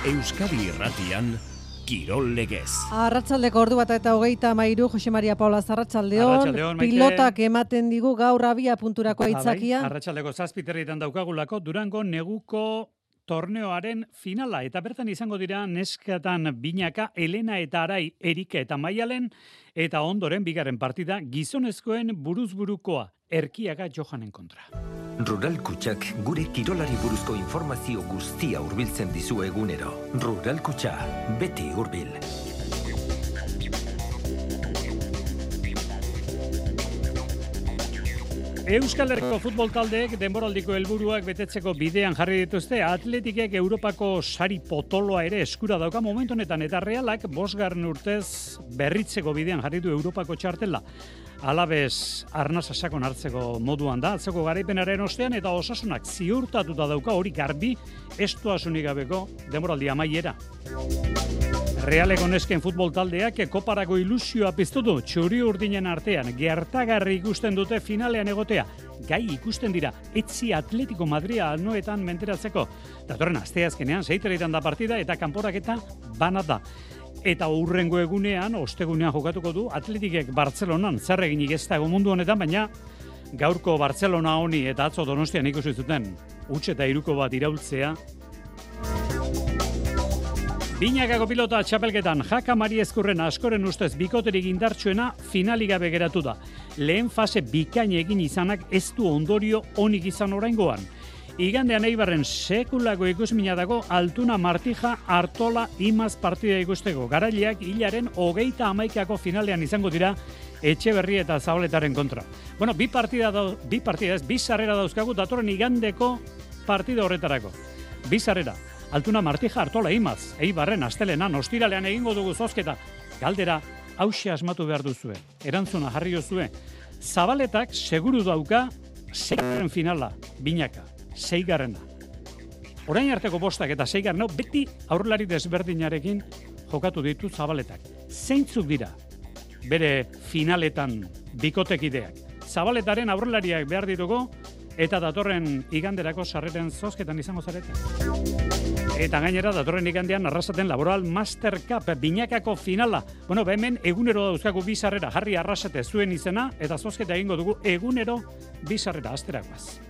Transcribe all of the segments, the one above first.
Euskadi Irratian Kirol Legez. Arratsaldeko ordu bat eta 33, Jose Maria Paula Arratsaldeon. Pilotak ematen digu gaur abia punturako aitzakia. Arratsaldeko 7:00 daukagulako Durango neguko torneoaren finala eta bertan izango dira neskatan Binaka, Elena eta Arai, Erika eta Maialen eta ondoren bigarren partida gizonezkoen buruzburukoa Erkiaga Johanen kontra. Rural Kutxak gure kirolari buruzko informazio guztia hurbiltzen dizu egunero. Rural Kutxa, beti hurbil. Euskal Herriko futbol taldeek denboraldiko helburuak betetzeko bidean jarri dituzte. Atletikek Europako sari potoloa ere eskura dauka momentu honetan eta Realak 5. urtez berritzeko bidean jarri du Europako txartela. Alabez arnasa sakon hartzeko moduan da, atzeko garaipenaren ostean eta Osasunak ziurtatuta dauka hori garbi estuasunik gabeko denboraldi amaiera. Realeko nesken futbol taldeak koparako ilusioa piztu du txuri urdinen artean gertagarri ikusten dute finalean egotea. Gai ikusten dira etzi Atletico Madria anoetan menteratzeko. Datorren asteazkenean 6:30 da partida eta kanporaketa bana da. Eta hurrengo egunean, ostegunean jokatuko du Atletikek Bartzelonan zer eginik ez dago mundu honetan, baina gaurko Bartzelona honi eta atzo Donostian ikusi zuten huts eta 3 bat iraultzea. Binakako pilota txapelketan Jaka Mari Ezkurrena askoren ustez bikoterik indartsuena finalik gabe geratu da. Lehen fase bikain egin izanak ez du ondorio onik izan oraingoan. Igandean Eibarren sekulako ikusmina dago Altuna Martija Artola Imaz partida ikusteko. Garaileak hilaren 31 finalean izango dira Etxeberri eta Zabaletaren kontra. Bueno, bi sarrera dauzkagu datorren igandeko partida horretarako. Bi sarrera. Altuna Martija Artola Imaz, Eibarren astelenan ostiralean egingo dugu zozketa. Galdera hauxe asmatu behar duzue. Erantzuna jarri duzue. Zabaletak seguru dauka 6. finala, Binaka, 6. Orain arteko 5 eta 6. beti aurrelari desberdinarekin jokatu ditu Zabaletak. Zeintzuk dira bere finaletan bikotekideak. Zabaletaren aurrelariak behar ditugu eta datorren iganderako sarreren zozketan izango zarete. Eta gainera datorren igandean Arrasaten Laboral Master Cup Binakako finala. Bueno, hemen egunero dauzkagu 2 sarrera, Jarri Arrasate zuen izena eta zozketa egingo dugu egunero 2 sarrera asterakoaz.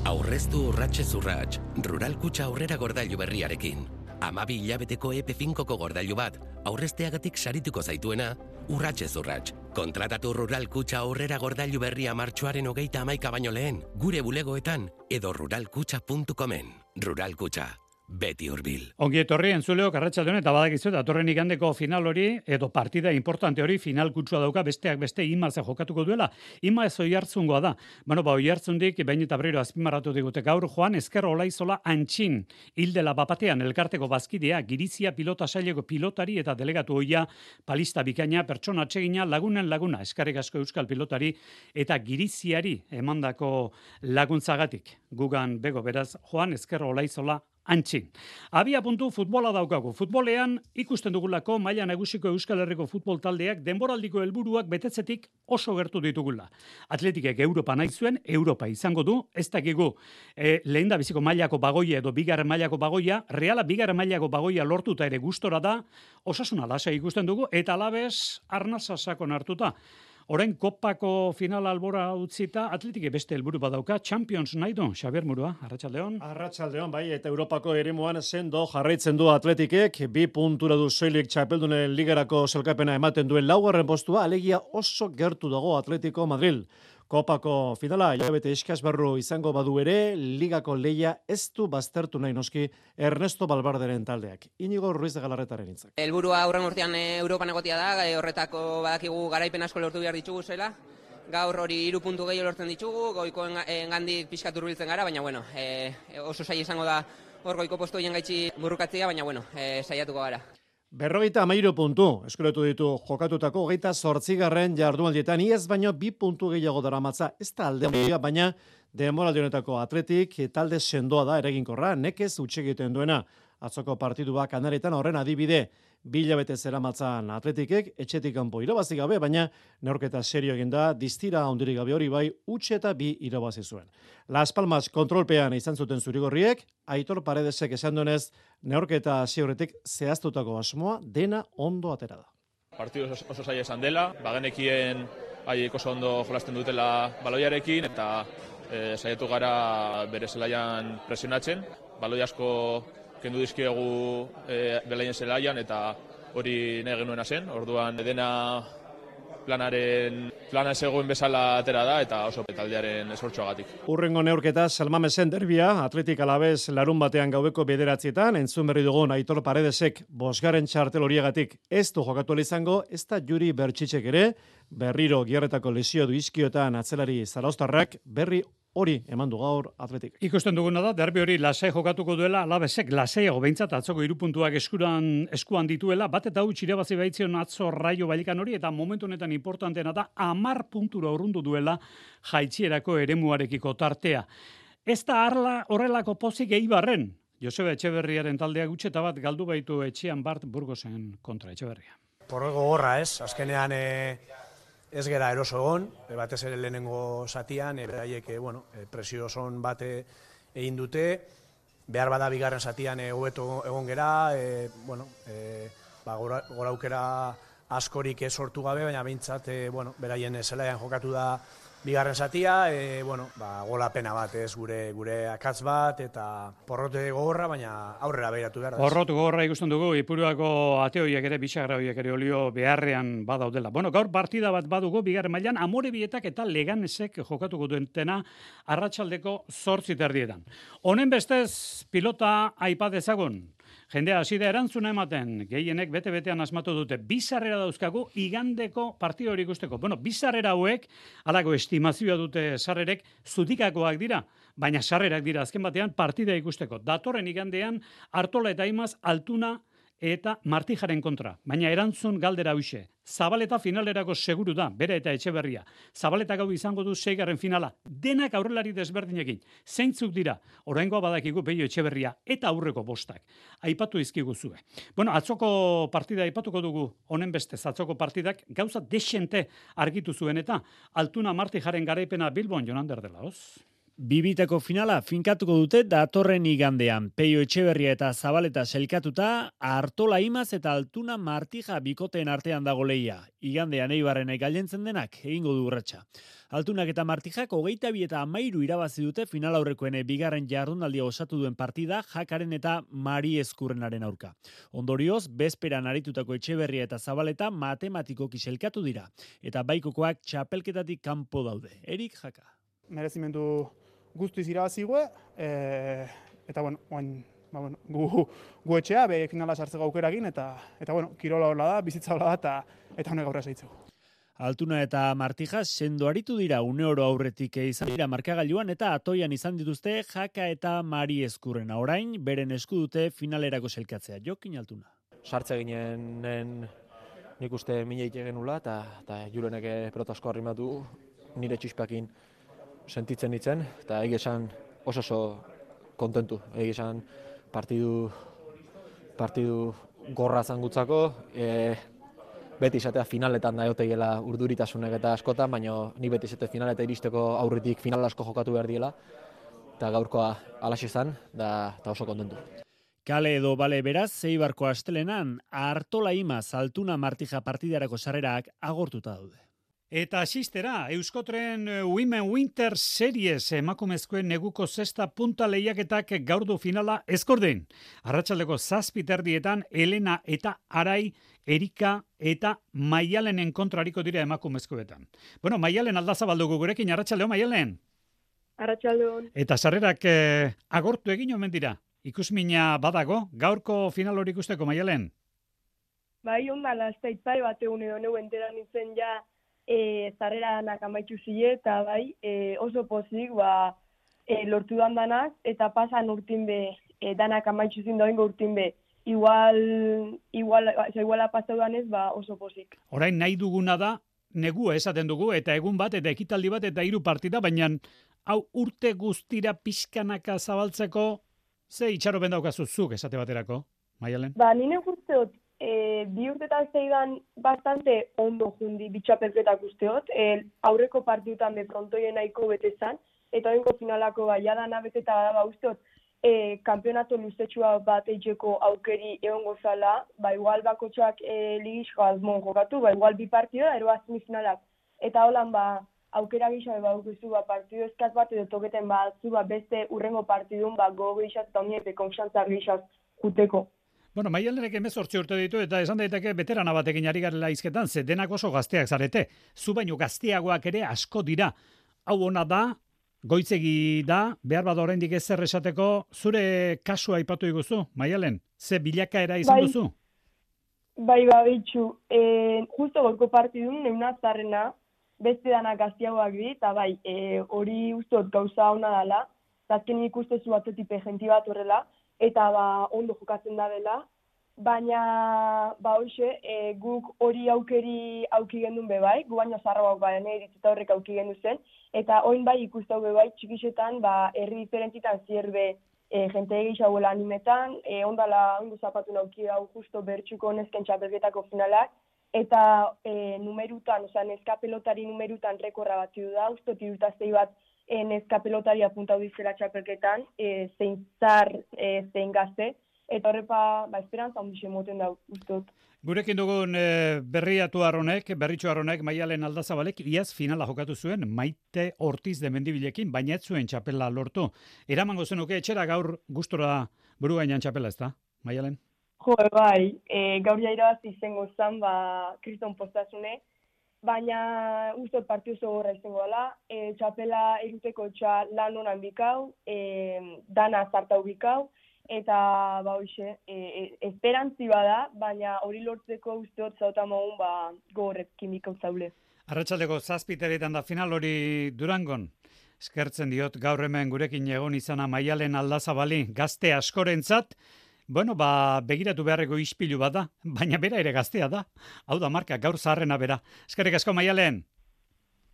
Aurreztu urratsez urrats, Rural Kutxa aurrera gordailu berriarekin. 12 hilabeteko EP5ko gordailu bat, aurrezteagatik sarituko zaituena, urratsez urrats. Kontratatu Rural Kutxa aurrera gordailu berria martxoaren 31 baino lehen, gure bulegoetan edo ruralkutxa.comen. Rural Kutxa, beti hurbil. Ongi etorri entzuleok arratsaldeon eta badakizu datorren igandeko final hori edo partida importante hori final kutsua dauka besteak beste Imaz jokatuko duela. Imaz Oiartzungoa da. Bueno, Oiartzundik behin eta berriro azpimarratu digute gaur Joan Ezker Olaizola Antxin hildela bapatean elkarteko bazkidea Girizia pilota saileko pilotari eta delegatu ohia palista bikaina pertsona atsegina lagunen laguna eskerrik asko euskal pilotari eta Giriziari emandako laguntzagatik. Gugan bego beraz Joan Ezker Olaizola Antxin. Abia puntu futbola daukagu. Futbolean ikusten dugulako maila nagusiko Euskal Herriko futbol taldeak denboraldiko helburuak betetzetik oso gertu ditugula. Atletikek Europa nahi zuen, Europa izango du, ez dakigu lehendabiziko mailako bagoia edo 2. mailako bagoia, Reala 2. mailako bagoia lortuta ere gustora da, Osasuna lasai ikusten dugu eta Alabez arnasa sakon hartuta. Orain kopako finala albora utzita, Atletik beste helburu badauka, Champions nahi du, Xabier Murua, arratsaldeon. Arratsaldeon, bai, eta Europako eremuan sendo jarraitzen du Atletikek, 2 puntura du soilik txapeldunen ligarako sailkapena ematen duen 4. postua, alegia oso gertu dago Atletico Madrid. Kopako finala, hilabete eskas barru izango badu ere, ligako leia ez du baztertu nahi noski Ernesto Balbarderen taldeak. Inigo Ruiz de Galarretaren hitzak. Helburua aurren urtean Europan egotia da, horretako badakigu garaipen asko lortu behar ditugu zela. Gaur hori 3 puntu gehiago lortzen ditugu, goiko engandik pixkat hurbiltzen gara, baina bueno, oso saia izango da hor goiko postu hien gaitxi burrukatzea, baina bueno, saiatuko gara. 53 puntu, eskuretu ditu jokatutako 28. jardunaldietan, iaz baino 2 puntu gehiago daramatza, ez da alde handia, baina denboraldi honetako Atletik talde sendoa da eraginkorra, nekez huts egiten duena. Atzoko partidua Kanaretan horren adibide. 2 hilabete zeramatzan Atletikek etxetik kanpo irabazi gabe, baina neurketa serio egin da, distira handirik gabe hori bai, huts eta 2 irabazi zuen. Las Palmas kontrolpean izan zuten zurigorriek, Aitor Paredesek esan duenez, neurketa hasi aurretik zehaztutako asmoa dena ondo atera da. Partidu oso zaila esan dela, bagenekien haiek oso ondo jolasten dutela baloiarekin, eta saiatu gara bere zelaian presionatzen. Baloi asko kendu dizkiegu belaien zelaian, eta hori nahi genuena zen. Orduan dena plana zegoen bezala atera da, eta oso taldearen esfortzuagatik. Urrengo neurketa Salmamesen derbia, Atletik Alabez larun batean gaueko 9:00, entzun berri dugun Aitor Paredesek 5. txartel horiagatik ez du jokatu izango, ez da Juri Bertxitzek ere, berriro gierretako lesio du izkiotan atzelari zarauztarrak, berri hori eman du gaur Atletik. Ikusten duguna da, derbi hori lasai jokatuko duela, Alabezek lasaiago behintzat atzoko 3 puntuak eskuan dituela, bat eta huts irabazi baitzion atzo Raio Vallecano hori, eta momentu honetan importanteena da, 10 puntura urrundu duela jaitsierako eremuarekiko tartea. Ez da arla horrelako pozik Eibarren. Joseba Etxeberriaren taldea gutxeta bat galdu baitu etxean Bart Burgosen kontra Etxeberria. Porrego gorra ez, azkenean ez gera eroso egon, batez ere lehenengo zatian, beraiek presio son bate egin dute, behar bada bigarren zatian hobeto egon gera, gora aukera askorik sortu gabe, baina behintzat beraien zelaian jokatu da bigarren zatia, gola pena bat ez, gure akatz bat, eta porrote gogorra, baina aurrera behiratu behar da. Porrotu gogorra ikusten dugu, Ipuruako ateoiek ere, bisagra horiek ere olio beharrean badaudela. Gaur partida bat badugu, bigarren mailan, Amorebietak eta Leganesek jokatuko duentena arratsaldeko 8:30. Honen bestez, pilota aipa dezagun. Jendea hasi da erantzuna ematen, gehienek bete-betean asmatu dute. 2 sarrera dauzkagu igandeko partido hori ikusteko. 2 sarrera hauek, halako estimazioa dute sarrerek, zutikakoak dira, baina sarrerak dira azken batean partida ikusteko. Datorren igandean, Artola eta Imaz, Altuna eta Martijaren kontra. Baina erantzun galdera huixe. Zabaleta finalerako seguru da, bere eta Etxeberria. Zabaleta gau izango du 6. finala. Denak aurrelari desberdinekin. Zeintzuk dira, oraingoa badakigu Peio Etxeberria eta aurreko 5. Aipatu izkiguzue. Atzoko partida aipatuko dugu, honen bestez, atzoko partidak gauza desente argitu zuen eta Altuna Martijaren garaipena Bilbon Jonander dela, hoz? Bibitako finala finkatuko dute datorren igandean. Peio Etxeberria eta Zabaleta selkatuta, Artola Imaz eta Altuna Martija bikoteen artean dago lehia. Igandean Eibarrenek gailentzen denak egingo du urratsa. Altunak eta Martijak 22 eta 13 irabazi dute final aurrekoen bigarren jardunaldia osatu duen partida Jakaren eta Mari Eskurrenaren aurka. Ondorioz, bezperan aritutako Etxeberria eta Zabaleta matematikoki selkatu dira. Eta baikokoak txapelketatik kanpo daude. Erik Jaka. Merezimendu guztiz irabazigue, eta gu etxea, finala sartzeko aukerakin, eta kirola horla da, bizitza horla da, eta honek aurra zaitzeko. Altuna eta Martija sendo aritu dira uneoro aurretik izan dira markagailuan eta atoian izan dituzte Jaka eta Mari Eskurrena. Orain, beren esku dute finalerako selkatzea. Jokin Altuna. Sartze ginen nik uste mineik egen nula, eta Julenek pelotasko arrimatu nire txispakin sentitzen ditzen, eta esan oso kontentu. Esan partidu gorra zangutzako, beti izatea finaletan da egotegiela urduritasunek eta askotan, baina ni beti izate finaleta iristeko aurritik final asko jokatu behar diela, eta gaurkoa alaxe izan, eta oso kontentu. Kale edo bale beraz, Eibarko astelenan, Artola Imaz, Altuna Martija partidarako sarrerak agortuta daude. Eta asistera, Euskotren Women Winter Series emakumezkoen neguko 6. punta lehiaketak gaurdu finala ezkordein. Arratsaldeko 7:30 Elena eta Arai, Erika eta Maialenen kontrariko dira emakumezkoetan. Maialen aldazabaldugu gurekin, arratsaldeon Maialen. Arratsaldeon. Eta sarrerak agortu egin omen dira. Ikusmina badago, gaurko final hori ikusteko Maialen. Bai, ondala, ez da itpare bat egun edo neu enteran nintzen ja zarreranak amaitzu zile, eta bai, oso pozik, lortu danak, eta pasan urtin be, danak amaitzu zin doingo urtin be, iguala pasau danez, oso pozik. Orain nahi duguna da, negua esaten dugu, eta egun bat, eta ekitaldi bat, eta 3 partida, baina hau urte guztira pixkanaka zabaltzeko, ze itxaropen daukazu zuk esate baterako, Maialen? Nire guztiot, bi urtetan zeidan bastante ondo jundi bitxapelketak usteot, aurreko partidutan be frontoien nahiko betezan, eta oinko finalako baiadana beteta da usteot, kampeonato luzetxua bat eitxeko aukeri egongo zala, igual bakotxak ligizko azmon jokatu, igual bi partida, ero semifinalak. Eta holan aukera gixabe badukuzu partidu eskaz bat edo toketen batzu beste urrengo partidun gogo gixaz eta oniepe konfiantzar gixaz juteko. Bueno, Maialenek 18 urte ditu eta esan daiteke beterana batekin ari garela hizketan, ze denak oso gazteak zarete. Zu baino gazteagoak ere asko dira. Hau ona da, goitzegi da, behar bada oraindik ezer esateko, zure kasua aipatu iguzu, Maialen? Ze bilakaera izan duzu? Bai, bitxu. Justo gorko partidun, neuna zarrena, beste danak gazteagoak di, eta bai, hori ustot gauza ona dela, eta azken ikustezu atetipe jenti bat horrela, eta ondo jokatzen da dela, baina hoxe, guk hori aukeri auki gendun bebai, gu baino zarroak baina eritzeta horrek auki gendu zen, eta oin bai ikustau bebai txikixetan, herri diferentitan zierbe jente egixauela animetan, ondo zapatu nauki hau justo bertxuko nesken txapelketako finalak, eta numerutan, neskapelotari numerutan rekorra bat da, usto tirutaztei bat neskapelotari apuntau dizela txapelketan, zein zar, zein gazte, eta horrepa, esperantza ondixe moten da, ustot. Gurekin dugun berritxu arronek, Maialen Aldazabalek, iaz finala jokatu zuen, Maite Ortiz de Mendibilekin, baina ez zuen txapela lortu. Eramango zenuke etxera gaur gustora buru gainan txapela, ez da, Maialen? Jo, bai, gaur jairabazi izango zen, kriston postasune, baina ustot partidu zogorra izango dela, txapela eruteko lan honan bikau, dana zartau bikau, eta hoxe, esperantzi bada, baina hori lortzeko usteot zautamogun gogorrekin bikau zaule. Arratsaldeko 7:00 da final hori Durangon. Eskertzen diot gaur hemen gurekin egon izana Maialen Aldazabali, gazte askorentzat. Bueno, begiratu beharreko ispilu bat da, baina bera ere gaztea da. Hau da marka, gaur zaharrena bera. Eskerrik asko, Maialen.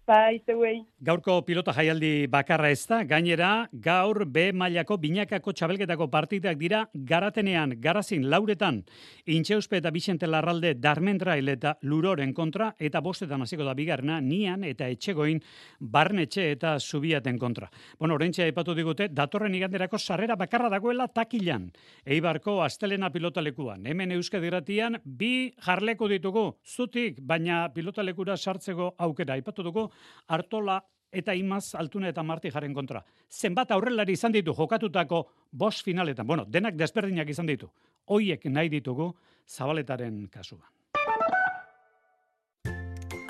Bai, zeuei. Gaurko pilota jaialdi bakarra ez da, gainera gaur B mailako binakako txabelketako partidak dira Garatenean, Garazin, Lauretan, Intxeuspe eta Bixente Larralde, Darmentrail eta Luroren kontra, eta 5 hasiko da bigarrena, Nian eta Etxegoin, Barnetxe eta Zubiaten kontra. Bueno, oraintxe aipatu digute, datorren iganderako sarrera bakarra dagoela Takilan, Eibarko astelena pilotalekuan. Hemen Euskadi Irratian 2 jarleko ditugu, zutik, baina pilotalekura sartzeko aukera aipatu dugu, Artola eta Imaz, Altuna eta Marti jaren kontra. Zenbat aurrelari izan ditu jokatutako 5 finaletan. Bueno, denak desberdinak izan ditu. Hoiek nahi ditugu Zabaletaren kasuan.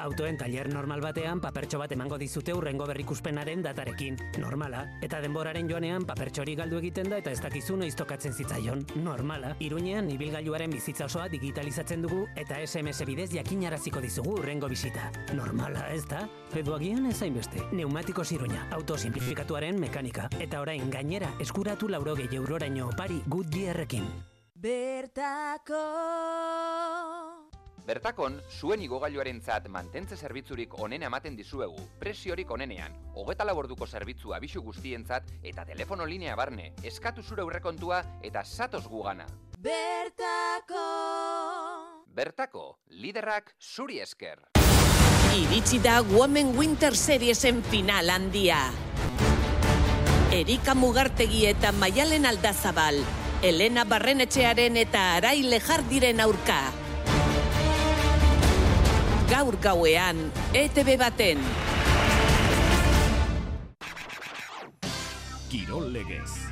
Autoen tailer normal batean papertxo bat emango dizute hurrengo berrikuspenaren datarekin. Normala. Eta denboraren joanean papertxori galdu egiten da eta ez dakizu noiz tokatzen zitzaion. Normala. Iruñean ibilgailuaren bizitza osoa digitalizatzen dugu eta SMS bidez jakinaraziko dizugu hurrengo bisita. Normala, ez da? Edo agian ez hainbeste. Neumatikos Iruña. Auto simplifikatuaren mekanika. Eta orain gainera eskuratu 80 euroraino opari Goodyearrekin. Bertakon, zuen igogailuarentzat mantentze zerbitzurik onena ematen dizuegu, presiorik onenean, 24 orduko zerbitzu abisu guztientzat eta telefono linea barne, eskatu zure aurrekontua eta zatoz gugana. Bertako, liderrak zuri esker. Iritsi da Women Winter Seriesen final handia. Erika Mugartegi eta Maialen Aldazabal, Elena Barrenetxearen eta Arai Lejardiren aurka. Gaur gauean, ETV baten. Kirol Legez.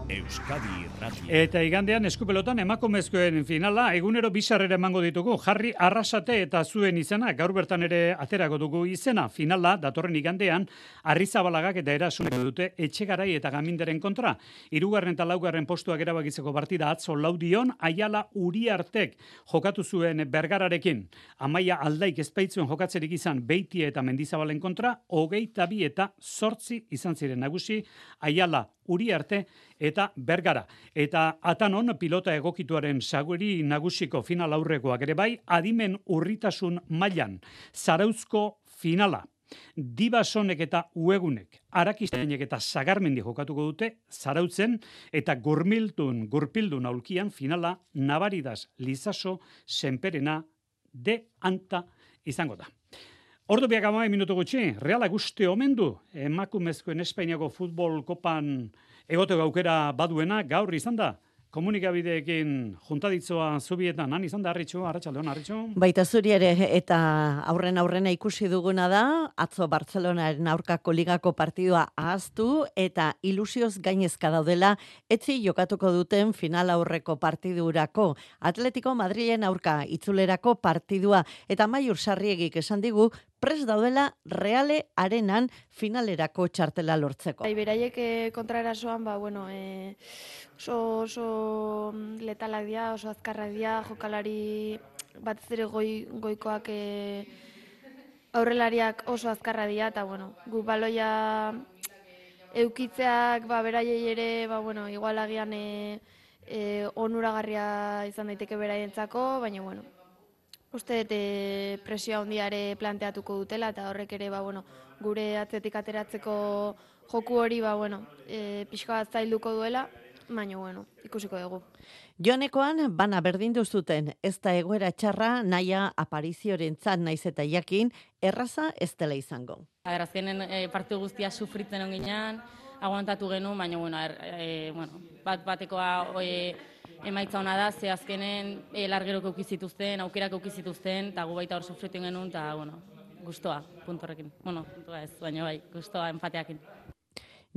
Euskadi Irratia. Eta igandean eskupelotan emakumezkoen finala egunero bizarrera emango ditugu. Jarri Arrasate eta zuen izena, gaur bertan ere aterako dugu izena. Finala datorren igandean Arrizabalagak eta Erasunek dute Etxegarai eta Gaminderen kontra. 3. eta 4. postuak erabakitzeko partida atzo Laudion, Aiala Uriartek jokatu zuen Bergararekin. Amaia Aldaik ezpaitzuen jokatzerik izan Beitia eta Mendizabalen kontra, 22 eta 8 izan ziren nagusi, Aiala Uriarte eta Bergara. Eta Atanon pilota egokituaren saguri nagusiko final aurrekoak ere bai, adimen urritasun mailan. Zarauzko finala. Dibasonek eta Uegunek, Arakistainek eta Sagarmendi jokatuko dute, Zarautzen eta Gurpildun aulkian finala Navaridas, Lizaso, Senperena, de Anta izango da. Ordu biak 10 minutu gutxi, Realak uste omen du emakumezkoen Espainiako futbol kopan egoteko aukera baduena gaur izan da. Komunikabideekin juntaditzoa zubietan, han izan da Arritxu, Arratsaldeon Arritxu. Baita zuri ere eta aurrena ikusi duguna da, atzo Bartzelonaren aurkako ligako partidua ahaztu eta ilusioz gainezka daudela etzi jokatuko duten final aurreko partidurako. Atletico Madrilen aurka itzulerako partidua eta Maiur Sarriegik esan digu prest daudela Reale Arenan finalerako txartela lortzeko. Beraiek kontraerasoan, oso letalak dira, oso azkarrak dira, jokalari batez ere goikoak aurrelariak oso azkarra dira, eta gu baloia eukitzeak beraiei ere, igual agian onuragarria izan daiteke beraientzako, baina uste presio handiare planteatuko dutela, eta horrek ere gure atzetik ateratzeko joku hori pixka bat zailduko duela, baina ikusiko dugu. Joanekoan bana berdindu zuten, ez da egoera txarra naia apariziorentzat naiz eta jakin erraza ez dela izango. Azkenen partidu guztia sufritzen onginean, aguantatu genuen, baina bat-batekoa emaitza hona da, ze azkenen largerok eukizituzten, aukerak eukizituzten, eta gu baita hor sufritzen genuen, eta guztua, puntorrekin. Puntua ez, baina guztua empateakin.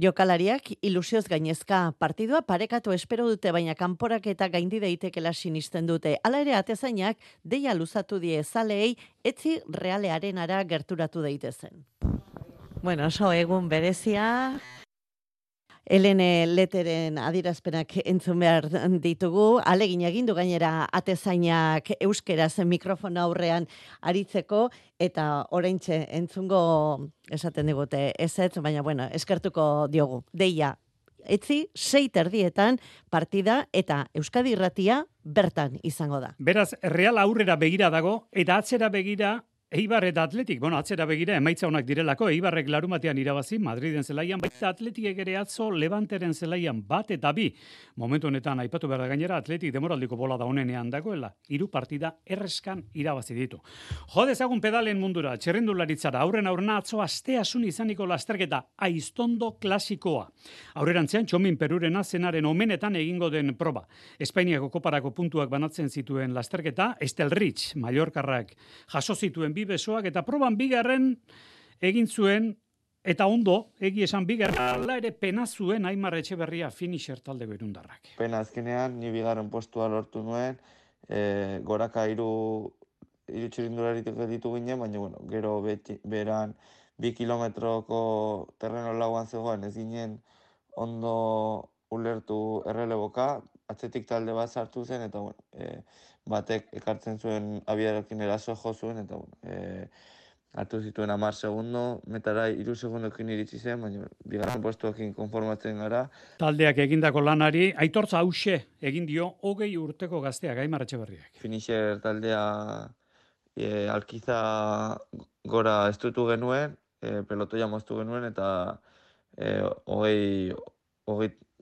Jokalariak ilusioz gainezka partidua parekatu espero dute, baina kanporak eta gaindi daitekela sinisten dute. Hala ere atezainak deia luzatu die zaleei etzi Reale Arenara gerturatu daitezen. Oso egun berezia. Helene Leteren adierazpenak entzun behar ditugu, alegin egin du gainera atezainak euskeraz mikrofona aurrean aritzeko, eta oraintxe entzungo esaten digute ezetz, baina eskertuko diogu. Deia, etzi 6:30 partida eta Euskadi Irratia bertan izango da. Beraz, Real aurrera begira dago, eta atzera begira Eibar eta Atletik, atzera begira emaitza honak direlako, Eibarrek larumatean irabazi, Madriden zelaian, baita Atletikek ere atzo Levanteren zelaian bat eta bi. Momentu honetan aipatu behar da gainera, Atletik demoraldiko bola da honenean dagoela, 3 partida erreskan irabazi ditu. Jo dezagun pedalen mundura, txerrendularitzara, aurrena atzo asteasun izaniko lasterketa, Aiztondo klasikoa. Aurrerantzean, Txomin Perurena zenaren omenetan egingo den proba. Espainiako koparako puntuak banatzen zituen lasterketa, Estelrich, Mallorcarrak jaso zituen besoak eta proban bigarren egin zuen eta ondo, egi esan bigarren, ala ere pena zuen Aimar Etxeberria finisher taldeko irundarrak. Pena azkenean, ni bigarren postua lortu nuen, goraka 3 txirindularitik ditu ginen, baina gero beran 2 kilometroko terreno lauan zegoen, ez ginen ondo ulertu erreleboka, atzetik talde bat sartu zen, eta batek ekartzen zuen abiarekin eraso jo zuen, eta hartu zituen 10 segundo, metara 3 segundokin iritsi zen, baina bigarren postuekin konformatzen gara. Taldeak egindako lanari, aitortza hause egin dio 20 urteko gazteak Aimar Etxeberriak. Finisher taldea alkiza gora estutu genuen, pelotoia moztu genuen, eta 20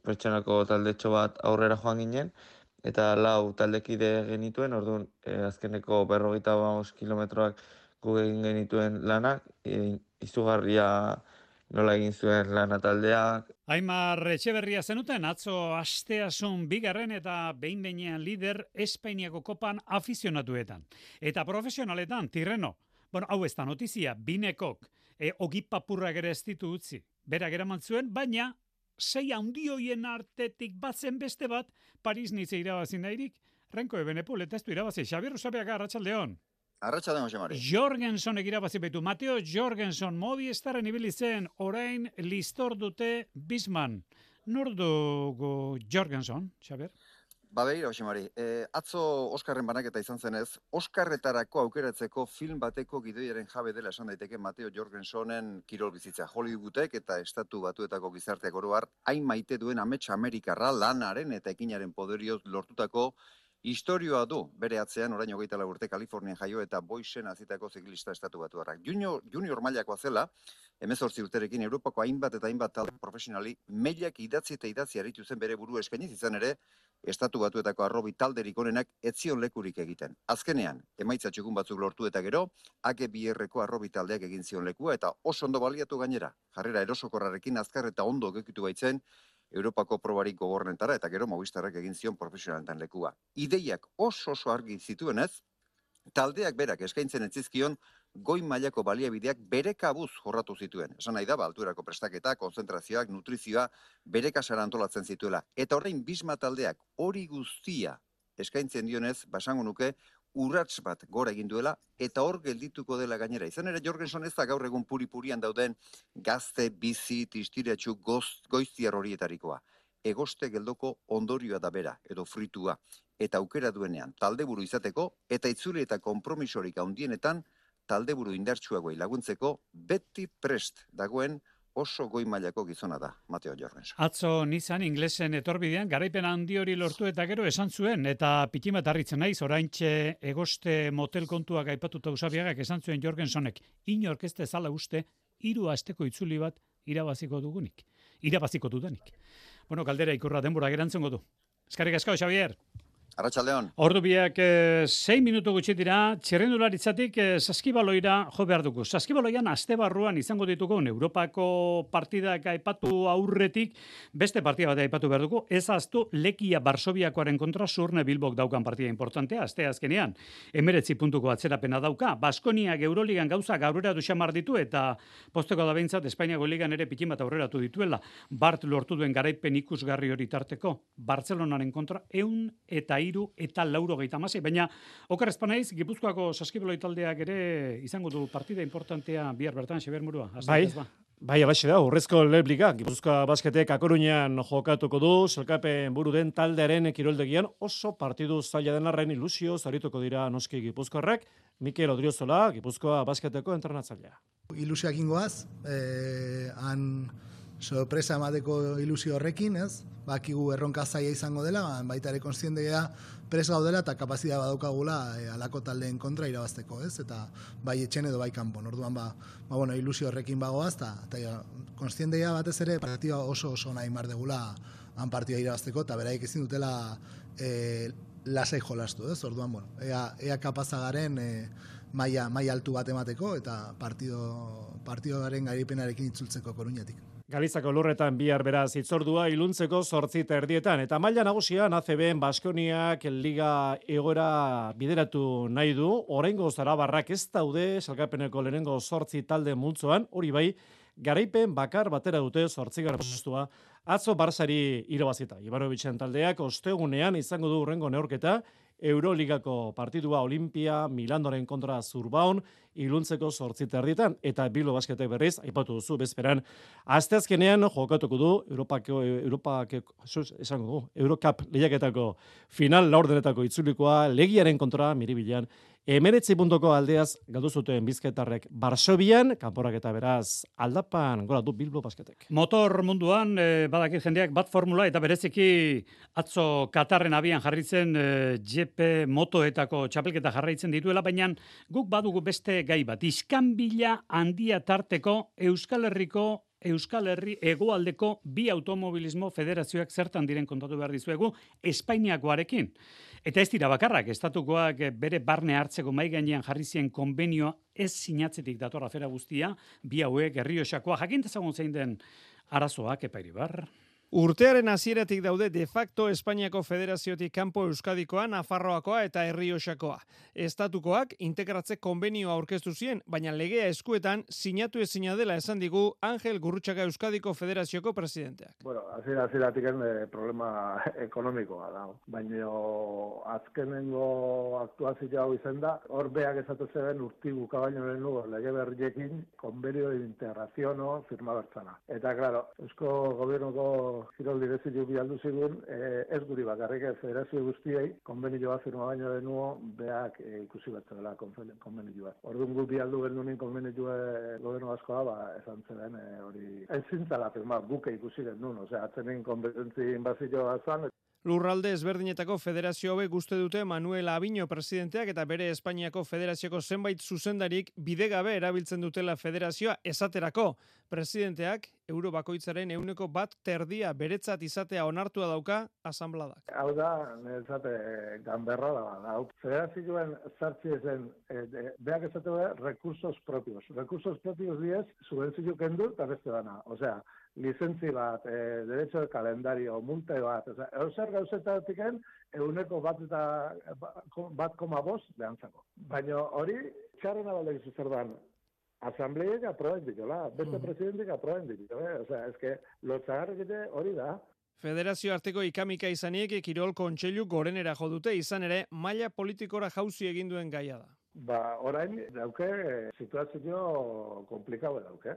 pertsonako taldetxo bat aurrera joan ginen, eta 4 taldekide genituen, orduan azkeneko 55 kilometroak gu egin genituen lanak, izugarria nola egin zuen lana taldeak. Aimar Etxeberria zenuten, atzo asteasun bigarren eta behin-behinean lider Espainiako kopan afizionatuetan. Eta profesionaletan, Tirreno, hau ez da notizia, Binekok, ogipapurrak ere ez ditu utzi, berak eraman zuen, baina 6 handioien artetik batzen beste bat, Paris Nice irabazi nahirik, Renko Ebenepul eta ez du irabazi. Xabier Usabeaga, Arratsaldeon. Arratsaldeon, Jose Mari. Jorgensonek irabazi baitu. Mateo Jorgenson, Movistarren ibili zen, orain listor dute Bisman. Nor dugu Jorgenson, Xabier? Begira, Jose Mari, atzo Oskarren banaketa izan zenez, Oskarretarako aukeratzeko film bateko gidoiaren jabe dela esan daiteke Mateo Jorgensonen kirol bizitza. Hollywoodak eta Estatu Batuetako gizarteak oro har, hain maite duen amets Amerikarra lanaren eta ekinaren poderioz lortutako Historioa du, bere atzean orain 24 urte Kalifornian jaio eta Boisen hazitako ziklista estatu batuarrak. Junior mailakoa zela, 18 urterekin Europako hainbat eta hainbat talde profesionali mailak idatzi eta idatzi aritu zen bere buru eskainiz, izan ere, estatu batuetako arrobi talderik onenak etzion lekurik egiten. Azkenean, emaitza txukun batzuk lortu eta gero, AG2-erreko arrobi taldeak egin zion lekua eta oso ondo baliatu gainera. Jarrera erosokorrarekin azkar eta ondo gekitu baitzen, Europako probarik gogornetara eta gero Movistarrak egin zion profesionalentan lekua. Ideiak oso argi zituenez, taldeak berak eskaintzen etzizkion goi mailako baliabideak bere kabuz jorratu zituen. Esan nahi da, altuerako prestaketa, konzentrazioak, nutrizioa bere kasara antolatzen zituela. Eta orain Bisma taldeak hori guztia eskaintzen dionez, basango nuke, urrats bat gora egin duela, eta hor geldituko dela gainera. Izan ere, Jorgenson ez da gaur egun puri-purian dauden gazte, bizi, tistiratxu, goiztiar horietarikoa. Egoste geldoko ondorioa da bera, edo fritua, eta aukera duenean taldeburu izateko, eta itzuli eta konpromisorik handienetan taldeburu indartsuagoei laguntzeko beti prest dagoen oso goi mailako gizona da, Mateo Jorgenson. Atzo nizan inglesen etorbidean, garaipen handi hori lortu eta gero esan zuen, eta pitimat harritzen naiz, oraintxe egoste motel kontuak aipatuta usabiagak esan zuen Jorgensonek, inork ez dezala uste, 3 asteko itzuli bat irabaziko dudanik. Bueno, galdera ikurra denbora gerantzongo du. Eskerrik asko, Xavier. Arratsaldeon. Ordu biak 6 minutu gutxi dira, txirrendularitzatik saskibaloira jo behar dugu. Saskibaloian aste barruan izango ditugu Europako partidak aipatu aurretik, beste partida bat aipatu behar dugu, ez aztu Lekia Barsobiakoaren kontra Surne Bilbok daukan partida importantea, aste azkenean, 19 puntuko atzerapena dauka, Baskoniak Euroligan gauza gaurera duxamar ditu, eta posteko da behintzat Espainiako Ligan ere pikin bat aurreratu dituela, Bart lortu duen garaipen ikusgarri hori tarteko, Bartzelonaren kontra 104 eta 96, baina oker espanaiz, Gipuzkoako saskibaloi taldeak ere izango du partida importantea bihar bertan, Xabier Murua. Bai, alaxe da, urrezko Lebliga, Gipuzkoa basketek Akoruñan jokatuko du, zelkapen buru den taldearen kiroldegian oso partidu zaila den arren ilusio zarituko dira noski Gipuzkoarrak, Mikel Odriozola, Gipuzkoa basketeko entrenatzailea. Ilusioak ingoaz, han sorpresa emateko ilusio horrekin, ez? Bakigu erronka zaila izango dela, baita ere kontziente gea pres gaudela eta kapazitatea badaukagula alako taldeen kontra irabazteko, ez? Eta bai etxen edo bai kanpon. Orduan bueno, ilusio horrekin bagoaz eta kontziente gea batez ere partida oso nahi mar degula han partida irabazteko eta beraik ezin dutela lasai jolastu, ez? Orduan, bueno, ea kapazagaren maila altu bat emateko eta partidoaren garaipenarekin itzultzeko Koruñatik. Galizako lurretan bihar beraz itzordua iluntzeko 8:30 eta maila nagusian ACB-en Baskoniak liga egoera bideratu nahi du. Oraingo Zarabarrak ez daude sailkapeneko lehenengo 8 talde multzoan, hori bai, garaipen bakar batera dute 8. postua. Atzo Barsari irabazita. Ivanovicen taldeak ostegunean izango du hurrengo neurketa, Euroligako partidua Olimpia, Milandoren kontra Zurbaon, iluntzeko 8:30 eta Bilbo Basketek berriz, aipatu duzu bezperan, asteazkenean jokatuko du Eurocup lehiaketako final laurdenetako itzulikoa Legiaren kontra Miribilan. 19 puntuko aldeaz galdu zuten bizkaitarrek Barsobian, kanporak eta beraz aldapan gora du Bilbo Basketek. Motor munduan badakit jendeak bat formula eta bereziki atzo Katarren abian jarritzen GP motoetako txapelketa jarraitzen dituela, baina guk badugu beste gai bat. Iskanbila handia tarteko Euskal Herri hegoaldeko bi automobilismo federazioak zertan diren kontatu behar dizuegu Espainiakoarekin. Eta ez dira bakarrak, estatukoak bere barne hartzeko mai gainean jarri zien konbenioa ez sinatzetik dator afera guztia, bi hauek Errioxakoa, jakintezagun zein den arazoak Epairibar. Urtearen hasieratik daude de facto Espainiako Federaziotik kanpo Euskadikoa, Nafarroakoa eta Errioxakoa. Estatukoak integratze konbenioa aurkeztu zien, baina legea eskuetan sinatu ezina dela esan digu Angel Gurrutxaga Euskadiko Federazioko presidenteak. Bueno, hasieratik problema ekonomikoa da, baina azkenengo aktuazio hau izan da, hor beak esatu zeben urti bukabaino lehenugo lege berriekin konbenio de integraziono firma bertzana. Eta, claro, Eusko Gobernuko kirol direzio bialdu zigun, ez guri bakarrik federazio guztiei, konbenioa firma baino denuo, beak ikusi bat zela konbenioa. Orduan gu bialdu genunin konbenioa gobernu askoa, esan zelen hori. Ez zintzala firma, buke ikusi genuen, atzenen kompetentzi inbazioa zan. Lurralde ezberdinetako federazio hauek uste dute Manuel Abiño presidenteak eta bere Espainiako federazioko zenbait zuzendarik bidegabe erabiltzen dutela federazioa esaterako. Presidenteak euro bakoitzaren 1/3 beretzat izatea onartua dauka asanbladak. Hau da, niretzat ganberra da. Federazioen sartzi ezen, beak esatu recursos propios. Recursos propios diez, subentzio kendu eta beste dana. Osea, licentzi bat, derecho de calendario, multe bat, zer gauzetatik 1,5 behantzako. Baina hori, txarrena balde gizu zer dan, asambleiek aproben ditola, beste presidentik aproben ditola, osea, eske, lotzagarrik hori da. Federazio arteko ikamika izanik Kirol Kontseilu gorenera jo dute, izan ere maila politikora jauzi egin duen gaia da. Orain dauke situazio komplikau dauke.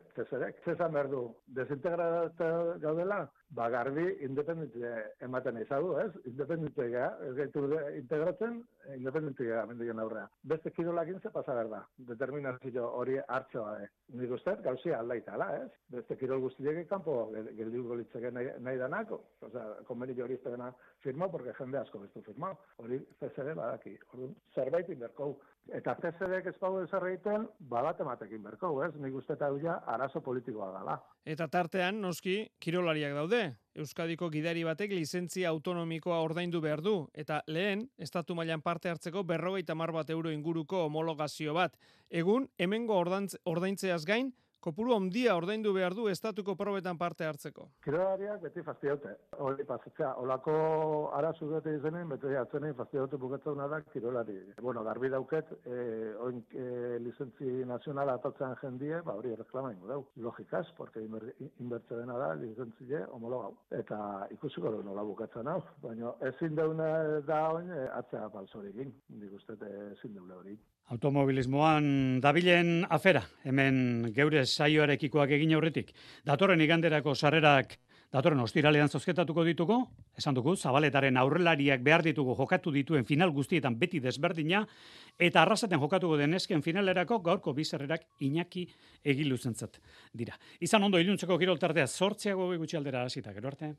Zezan behar du, desintegrata gaudela, garbi independente ematen izadu, ez? Independente gara, ez gaitu integratzen, independente gara, mendigen aurrea. Beste kirolakin ze pasa behar da, determinazio hori hartzoa da. Nik uste, gauzia aldaitala, ez? Beste kirol guztiek kanpo geldiuko litzeke nahi danako. Osea, konbenio hori iztegena firmau, porque jende asko bestu firmau. Hori CSD badaki. Zerbait inberkou. Eta CSD-ek ez bau ezer egiten, bat ematekin berkou, ez? Nik uste eta duia arazo politikoa dela. Eta tartean, noski, kirolariak daude. Euskadiko gidari batek lizentzia autonomikoa ordaindu behar du, eta lehen, estatu mailan parte hartzeko 50 euro inguruko homologazio bat. Egun, hemengo ordaintzeaz gain, kopuru handia ordaindu behar du estatuko probetan parte hartzeko. Kirolariak beti fastidiote. Hori pasatzea, olako arazu dute izenen, beti atzenein fastidiote bukatzuna da kirolari. Garbi dauket, oin licentzi nazionala atatzen jendie, hori reklama ingo dau. Logikaz, porque inbertze dena da, licentzile homologau. Eta ikusiko du nola bukatzen hau. Baina ezin deuna da oin, atzea balzorikin. Nik uste ezin deule hori. Automobilismoan dabilen afera, hemen geure saioarekikoak egin aurretik. Datorren iganderako sarrerak datorren ostiralean zozketatuko dituko, esan dugu, Zabaletaren aurrelariak behar ditugu jokatu dituen final guztietan beti desberdina, eta arrasaten jokatuko den esken finalerako gaurko bizarrerak Iñaki Egiluzentzat dira. Izan ondo iluntzeko kiroltartea 8 gutxi aldera hasita, gero arte.